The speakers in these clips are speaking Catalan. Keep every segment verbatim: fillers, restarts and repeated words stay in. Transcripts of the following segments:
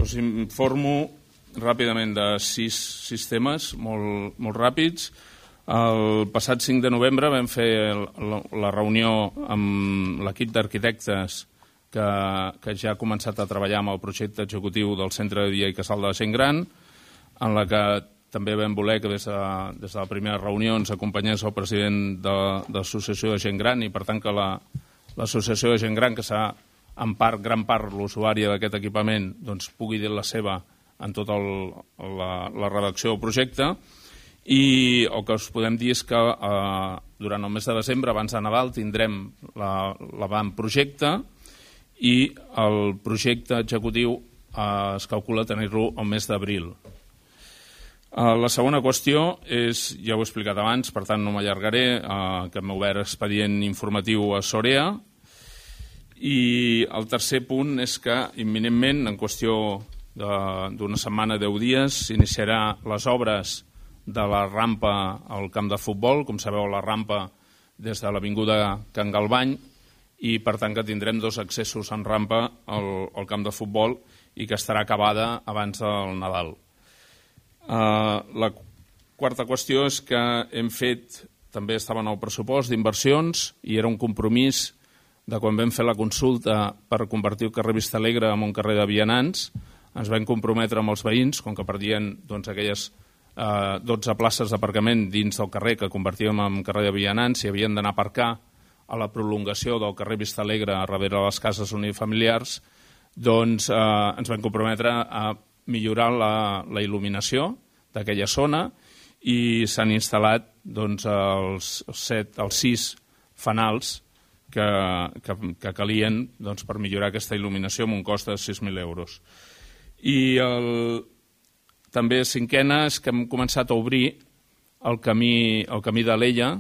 Us informo ràpidament de sis sistemes molt, molt ràpids. El passat cinc de novembre vam fer la, la reunió amb l'equip d'arquitectes que, que ja ha començat a treballar amb el projecte executiu del Centre de Dia i Casal de la Gent Gran, en la que també vam voler que des de, des de la primera reunió ens acompanyés el president de, de l'Associació de Gent Gran i, per tant, que la, l'Associació de Gent Gran, que s'ha en part, gran part, l'usuària d'aquest equipament, doncs, pugui dir la seva en tota el, la, la redacció del projecte. I el que us podem dir és que eh, durant el mes de desembre, abans de Nadal, tindrem l'avantprojecte i el projecte executiu eh, es calcula tenir-lo el mes d'abril. Eh, la segona qüestió és, ja ho he explicat abans, per tant no m'allargaré, eh, que hem obert expedient informatiu a Sorea. I el tercer punt és que imminentment, en qüestió d'una setmana, deu dies, s'iniciarà les obres de la rampa al camp de futbol. Com sabeu, la rampa des de l'avinguda Can Galvany, i per tant que tindrem dos accessos en rampa al, al camp de futbol i que estarà acabada abans del Nadal. Uh, la quarta qüestió és que hem fet, també estava en el pressupost d'inversions i era un compromís de quan vam fer la consulta per convertir el carrer Vista Alegre en un carrer de vianants. Ens vam comprometre amb els veïns, com que perdien doncs, aquelles eh, dotze places d'aparcament dins del carrer que convertíem en carrer de vianants i havien d'anar a aparcar a la prolongació del carrer Vista Alegre a darrere de les cases unifamiliars, doncs eh, ens vam comprometre a millorar la, la il·luminació d'aquella zona i s'han instal·lat doncs, els, set, els sis fanals que, que, que calien doncs, per millorar aquesta il·luminació amb un cost de sis mil euros. I el, també cinquena és que hem començat a obrir el camí, el camí d'Alella,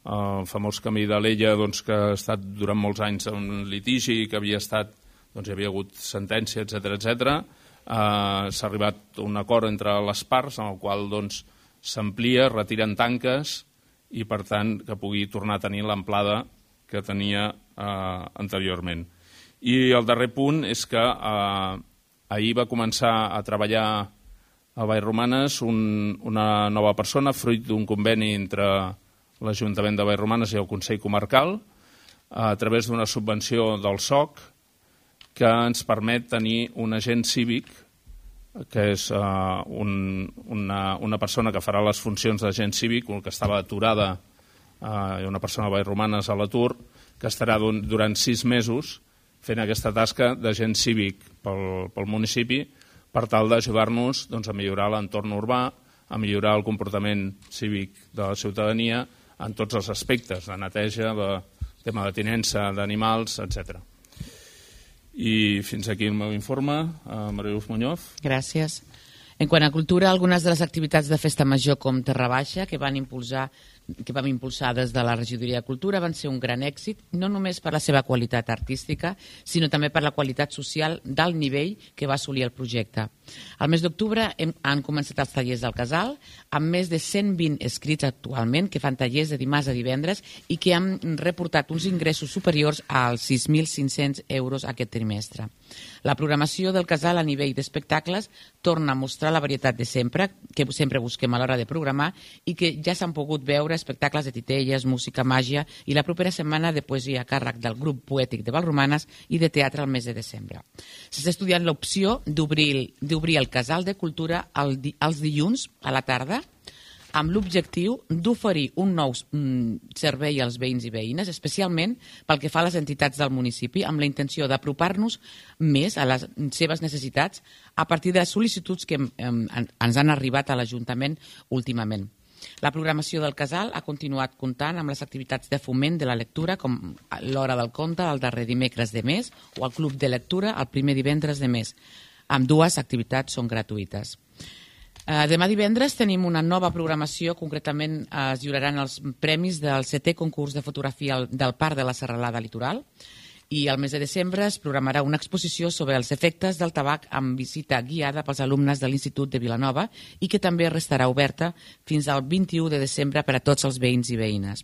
el famós camí d'Alella doncs, que ha estat durant molts anys en litigi, que havia estat, doncs, hi havia hagut sentència, etcètera, etcètera. Uh, s'ha arribat a un acord entre les parts en el qual doncs, s'amplia, retiren tanques i per tant que pugui tornar a tenir l'amplada que tenia eh, anteriorment. I el darrer punt és que eh, ahir va començar a treballar a Vallromanes un, una nova persona, fruit d'un conveni entre l'Ajuntament de Vallromanes i el Consell Comarcal, a través d'una subvenció del S O C, que ens permet tenir un agent cívic, que és eh, un, una, una persona que farà les funcions d'agent cívic, que estava aturada, hi ha una persona de Vallromanes a l'atur, que estarà durant sis mesos fent aquesta tasca d'agent cívic pel, pel municipi per tal d'ajudar-nos doncs, a millorar l'entorn urbà, a millorar el comportament cívic de la ciutadania en tots els aspectes, de neteja, de tema de tinença d'animals, etcètera. I fins aquí el meu informe. Uh, Maria Luz Muñoz. Gràcies. En quant a cultura, algunes de les activitats de Festa Major com Terra Baixa, que van impulsar que vam impulsar des de la Regidoria de Cultura, van ser un gran èxit, no només per la seva qualitat artística, sinó també per la qualitat social d'alt nivell que va assolir el projecte. Al mes d'octubre han començat els tallers del Casal, amb més de cent vint escrits actualment, que fan tallers de dimarts a divendres i que han reportat uns ingressos superiors als sis mil cinc-cents euros aquest trimestre. La programació del Casal a nivell d'espectacles torna a mostrar la varietat de sempre, que sempre busquem a l'hora de programar, i que ja s'han pogut veure espectacles de titelles, música, màgia i la propera setmana de poesia a càrrec del grup poètic de Vallromanes i de teatre al mes de desembre. S'està estudiant l'opció d'obrir el Casal de Cultura els dilluns a la tarda amb l'objectiu d'oferir un nou servei als veïns i veïnes, especialment pel que fa a les entitats del municipi, amb la intenció d'apropar-nos més a les seves necessitats a partir de les sol·licituds que ens han arribat a l'Ajuntament últimament. La programació del Casal ha continuat comptant amb les activitats de foment de la lectura, com l'Hora del Conte el darrer dimecres de mes o el Club de Lectura el primer divendres de mes. Ambdues activitats són gratuïtes. Uh, demà divendres tenim una nova programació, concretament uh, es lliuraran els premis del setè concurs de fotografia del Parc de la Serralada Litoral i al mes de desembre es programarà una exposició sobre els efectes del tabac amb visita guiada pels alumnes de l'Institut de Vilanova i que també restarà oberta fins al vint-i-u de desembre per a tots els veïns i veïnes.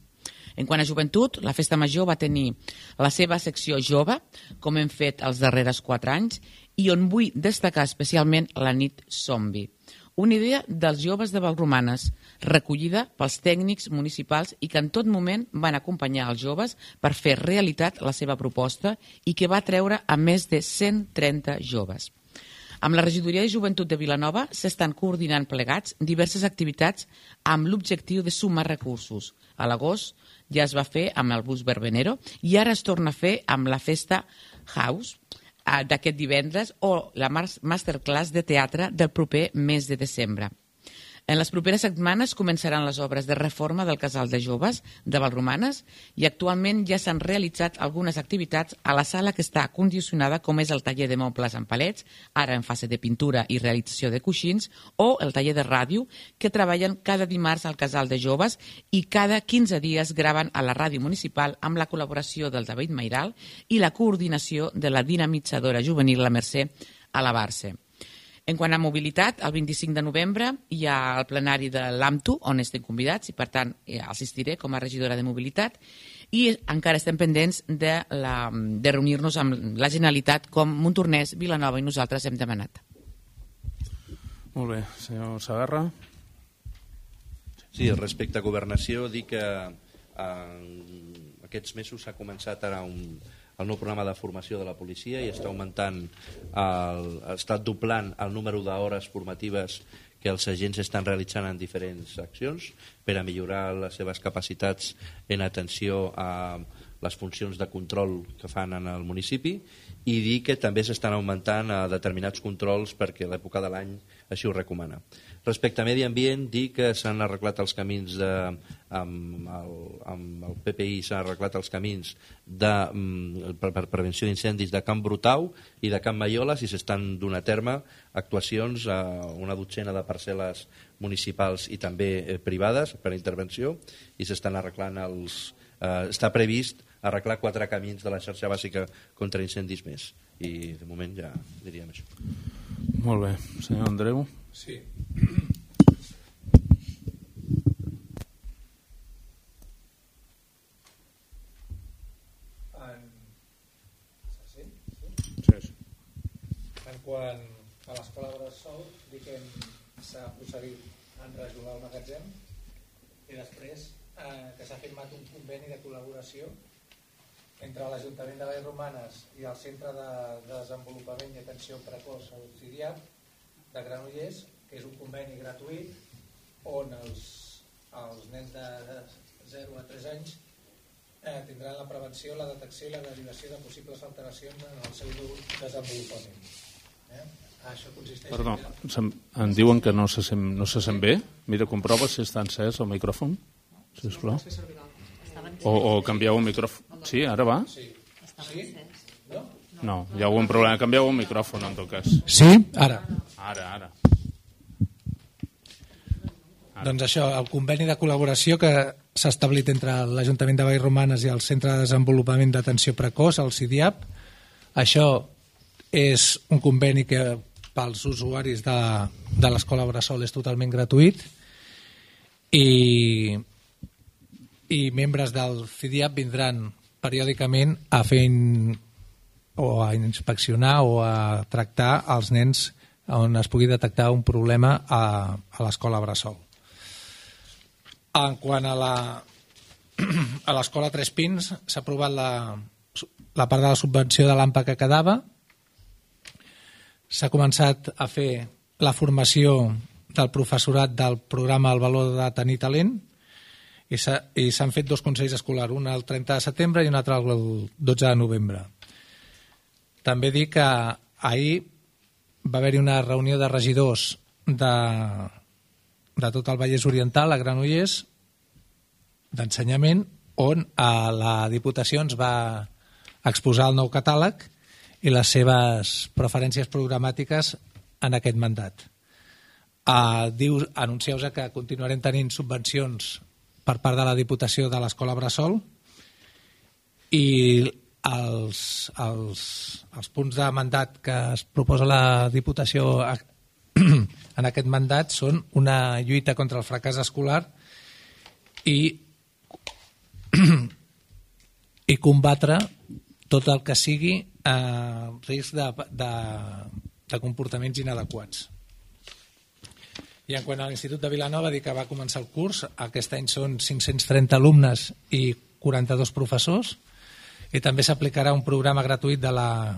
En quant a joventut, la Festa Major va tenir la seva secció jove, com hem fet els darrers quatre anys, i on vull destacar especialment la nit zombi. Una idea dels joves de Vallromanes, recollida pels tècnics municipals i que en tot moment van acompanyar els joves per fer realitat la seva proposta i que va treure a més de cent trenta joves. Amb la Regidoria de Joventut de Vilanova s'estan coordinant plegats diverses activitats amb l'objectiu de sumar recursos. A l'agost ja es va fer amb el bus Verbenero i ara es torna a fer amb la Festa House d'aquest divendres o la masterclass de teatre del proper mes de desembre. En les properes setmanes començaran les obres de reforma del Casal de Joves de Vallromanes i actualment ja s'han realitzat algunes activitats a la sala que està condicionada, com és el taller de mobles en palets, ara en fase de pintura i realització de coixins, o el taller de ràdio, que treballen cada dimarts al Casal de Joves i cada quinze dies graven a la ràdio municipal amb la col·laboració del David Mairal i la coordinació de la dinamitzadora juvenil La Mercè a la Barça. En quant a mobilitat, el vint-i-cinc de novembre hi ha el plenari de l'AMTU, on estem convidats i, per tant, assistiré com a regidora de mobilitat i encara estem pendents de, la, de reunir-nos amb la Generalitat com Montornès, Vilanova i nosaltres hem demanat. Molt bé. Senyor Segarra. Sí, respecte a governació, dir que eh, aquests mesos s'ha començat ara un el nou programa de formació de la policia i està augmentant, el, està doblant el número d'hores formatives que els agents estan realitzant en diferents accions per a millorar les seves capacitats en atenció a les funcions de control que fan en el municipi i dir que també s'estan augmentant a determinats controls perquè l'època de l'any així ho recomana. Respecte a medi ambient, dir que s'han arreglat els camins de, amb, el, amb el P P I s'han arreglat els camins de, per, per prevenció d'incendis de Camp Brutau i de Camp Maioles i s'estan donant a terme actuacions a una dotzena de parcel·les municipals i també eh, privades per intervenció i s'estan arreglant els... Eh, està previst arreglar quatre camins de la xarxa bàsica contra incendis més i de moment ja diríem això. Molt bé. Senyor Andreu. Sí. En... Sí? Sí? Sí. En quant a l'escola Bressol, dic que s'ha procedit a enrajolar el magatzem i després eh, que s'ha firmat un conveni de col·laboració entre l'Ajuntament de Vallromanes i el Centre de Desenvolupament i Atenció Precoç al C I D I A P de Granollers, que és un conveni gratuït on els, els nens de zero a tres anys eh, tindran la prevenció, la detecció i la derivació de possibles alteracions en el seu desenvolupament. Eh? Això consisteix... Perdó, en, em diuen que no se sent, no se sent bé. Mira, comprova si està encès el micròfon, sisplau. O, o canvieu el micròfon. Sí, ara va? Sí. Sí? No? No, hi ha algun problema. Canvieu el micròfon, en tot cas. Sí? Ara. Ara, ara. Ara. Doncs això, el conveni de col·laboració que s'ha establit entre l'Ajuntament de Vallromanes i el Centre de Desenvolupament d'Atenció Precoç, el C I D I A P, això és un conveni que pels usuaris de, de l'Escola Bressol és totalment gratuït i, i membres del C I D I A P vindran periòdicament a fer in, o a inspeccionar o a tractar els nens on es pugui detectar un problema a, a l'Escola Bressol. En quant a la a l'Escola Tres Pins s'ha aprovat la, la part de la subvenció de l'AMPA que quedava. S'ha començat a fer la formació del professorat del programa El valor de tenir talent i s'han fet dos consells escolars, un el trenta de setembre i un altre el dotze de novembre. També dic que ahir va haver-hi una reunió de regidors de, de tot el Vallès Oriental, a Granollers, d'ensenyament, on a la Diputació ens va exposar el nou catàleg i les seves preferències programàtiques en aquest mandat. Uh, diu, anuncieu que continuarem tenint subvencions per part de la Diputació de l'Escola Bressol i els, els, els punts de mandat que es proposa la Diputació en aquest mandat són una lluita contra el fracàs escolar i, i combatre tot el que sigui eh, risc de, de, de comportaments inadequats. I en quant a l'Institut de Vilanova, dir que va començar el curs, aquest any són cinc-cents trenta alumnes i quaranta-dos professors, i també s'aplicarà un programa gratuït de la,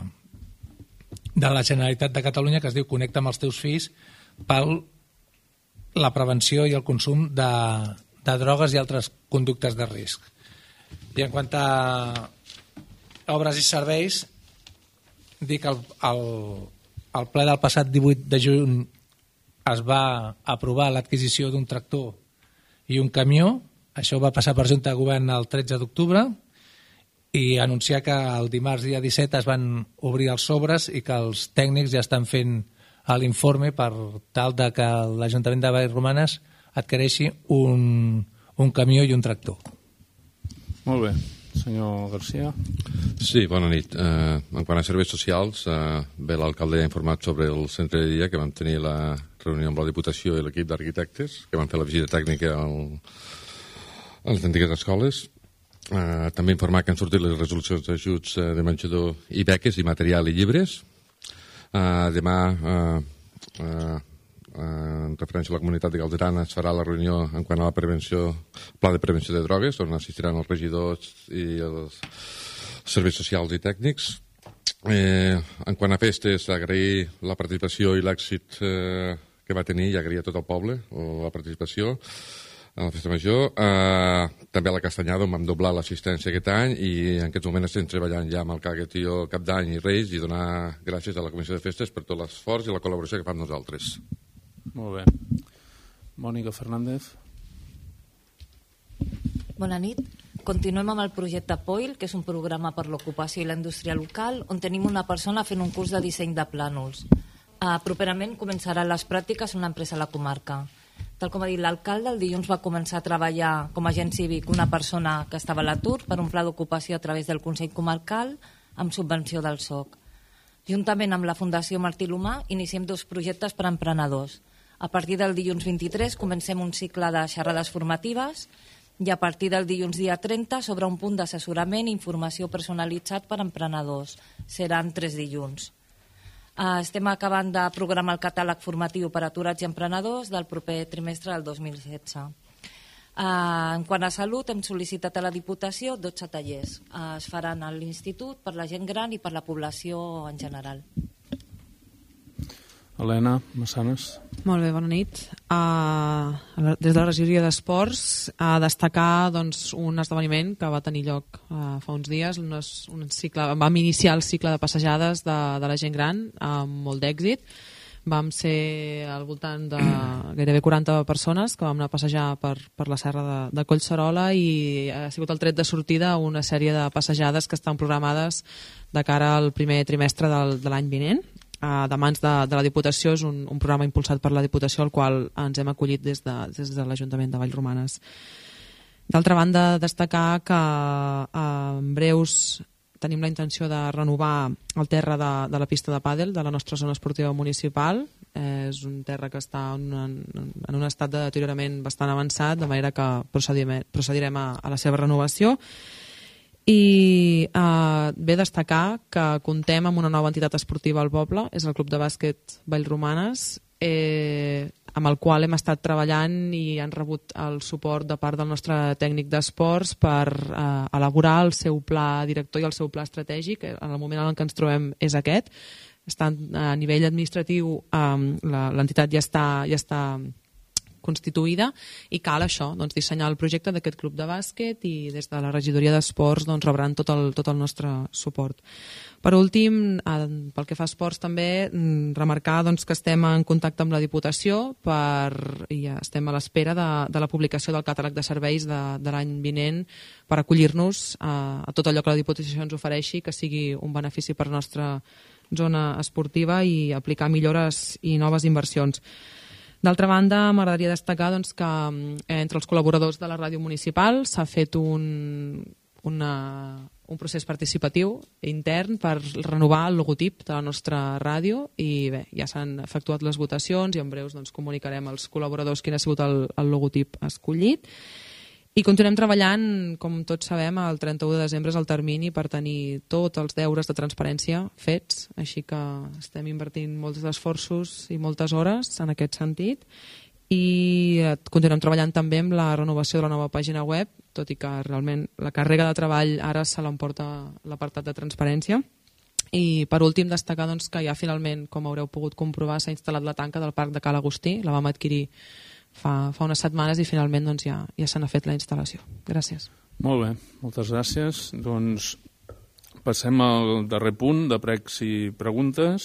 de la Generalitat de Catalunya que es diu Connecta amb els teus fills per la prevenció i el consum de, de drogues i altres conductes de risc. I en quant a obres i serveis, dir que el, el, el ple del passat divuit de juny es va aprovar l'adquisició d'un tractor i un camió. Això va passar per Junta de Govern el tretze d'octubre, i anunciar que el dimarts dia disset es van obrir els sobres i que els tècnics ja estan fent l'informe per tal de que l'Ajuntament de Vallromanes adquireixi un, un camió i un tractor. Molt bé. Senyor Garcia. Sí, bona nit. Eh, en quant a serveis socials, eh, bé, l'alcalde ha informat sobre el centre de dia, que vam tenir la reunió amb la Diputació i l'equip d'arquitectes, que van fer la visita tècnica al, a les antigues escoles. Eh, també informar que han sortit les resolucions d'ajuts eh, de menjador i beques i material i llibres. Eh, demà, eh, eh, en referència a la comunitat de Galderana, es farà la reunió en quant a la prevenció, pla de prevenció de drogues, on assistiran els regidors i els serveis socials i tècnics. Eh, en quant a festes, agrair la participació i l'èxit eh, que va tenir, i agrair a tot el poble la participació a la festa major. Eh, també a la Castanyada, on vam doblar l'assistència aquest any, i en aquests moments estem treballant ja amb el Caguetío Cap d'Any i Reis, i donar gràcies a la Comissió de Festes per tot l'esforç i la col·laboració que fan nosaltres. Molt bé. Mònica Fernández. Bona nit. Continuem amb el projecte P O I L, que és un programa per l'ocupació i la indústria local, on tenim una persona fent un curs de disseny de plànols. Uh, properament començaran les pràctiques en una empresa a la comarca. Tal com ha dit l'alcalde, el dilluns va començar a treballar com a agent cívic una persona que estava a l'atur per un pla d'ocupació a través del Consell Comarcal amb subvenció del S O C. Juntament amb la Fundació Martí L'Humà iniciem dos projectes per a emprenedors. A partir del dilluns vint-i-tres comencem un cicle de xerrades formatives, i a partir del dilluns dia trenta s'obre un punt d'assessorament i informació personalitzat per a emprenedors. Seran tres dilluns. Uh, estem acabant de programar el catàleg formatiu per a aturats i emprenedors del proper trimestre del dos mil setze. Uh, en quant a salut, hem sol·licitat a la Diputació dotze tallers. Uh, es faran a l'Institut per la gent gran i per la població en general. Helena Massanes. Molt bé, bona nit. Uh, des de la regidoria d'Esports, a uh, destacar doncs, un esdeveniment que va tenir lloc uh, fa uns dies. Un, un cicle, vam iniciar el cicle de passejades de, de la gent gran amb molt d'èxit. Vam ser al voltant de gairebé quaranta persones que vam anar a passejar per, per la serra de, de Collserola, i ha sigut el tret de sortida una sèrie de passejades que estan programades de cara al primer trimestre del, de l'any vinent. Uh, de mans de, de la Diputació. És un, un programa impulsat per la Diputació, al qual ens hem acollit des de, des de l'Ajuntament de Vallromanes. D'altra banda, destacar que uh, en breus tenim la intenció de renovar el terra de, de la pista de pàdel de la nostra zona esportiva municipal. Eh, és un terra que està en, en, en un estat de deteriorament bastant avançat, de manera que procedirem, procedirem a, a la seva renovació. I eh, ve destacar que contem amb una nova entitat esportiva al poble, és el Club de Bàsquet Vallromanes, eh, amb el qual hem estat treballant i han rebut el suport de part del nostre tècnic d'esports per eh, elaborar el seu pla director i el seu pla estratègic. En el moment en què ens trobem és aquest. Estan, a nivell administratiu, eh, l'entitat ja està, ja està constituïda, i cal això, doncs, dissenyar el projecte d'aquest club de bàsquet, i des de la regidoria d'esports doncs, rebran tot el, tot el nostre suport. Per últim, eh, pel que fa a esports també, remarcar doncs, que estem en contacte amb la Diputació per, i estem a l'espera de, de la publicació del catàleg de serveis de, de l'any vinent per acollir-nos a, a tot allò que la Diputació ens ofereixi, que sigui un benefici per la nostra zona esportiva, i aplicar millores i noves inversions. D'altra banda, m'agradaria destacar doncs, que entre els col·laboradors de la ràdio municipal s'ha fet un, una, un procés participatiu intern per renovar el logotip de la nostra ràdio, i bé, ja s'han efectuat les votacions, i en breus doncs, comunicarem als col·laboradors quin ha sigut el, el logotip escollit. I continuem treballant, com tots sabem, el trenta-u de desembre és el termini per tenir tots els deures de transparència fets, així que estem invertint molts esforços i moltes hores en aquest sentit, i continuem treballant també amb la renovació de la nova pàgina web, tot i que realment la càrrega de treball ara se l'emporta l'apartat de transparència. I per últim destacar doncs, que ja finalment, com haureu pogut comprovar, s'ha instal·lat la tanca del Parc de Ca l'Agustí, la vam adquirir fa, fa unes setmanes i finalment doncs, ja, ja se n'ha fet la instal·lació. Gràcies. Molt bé, moltes gràcies. Doncs passem al darrer punt de pregs i preguntes.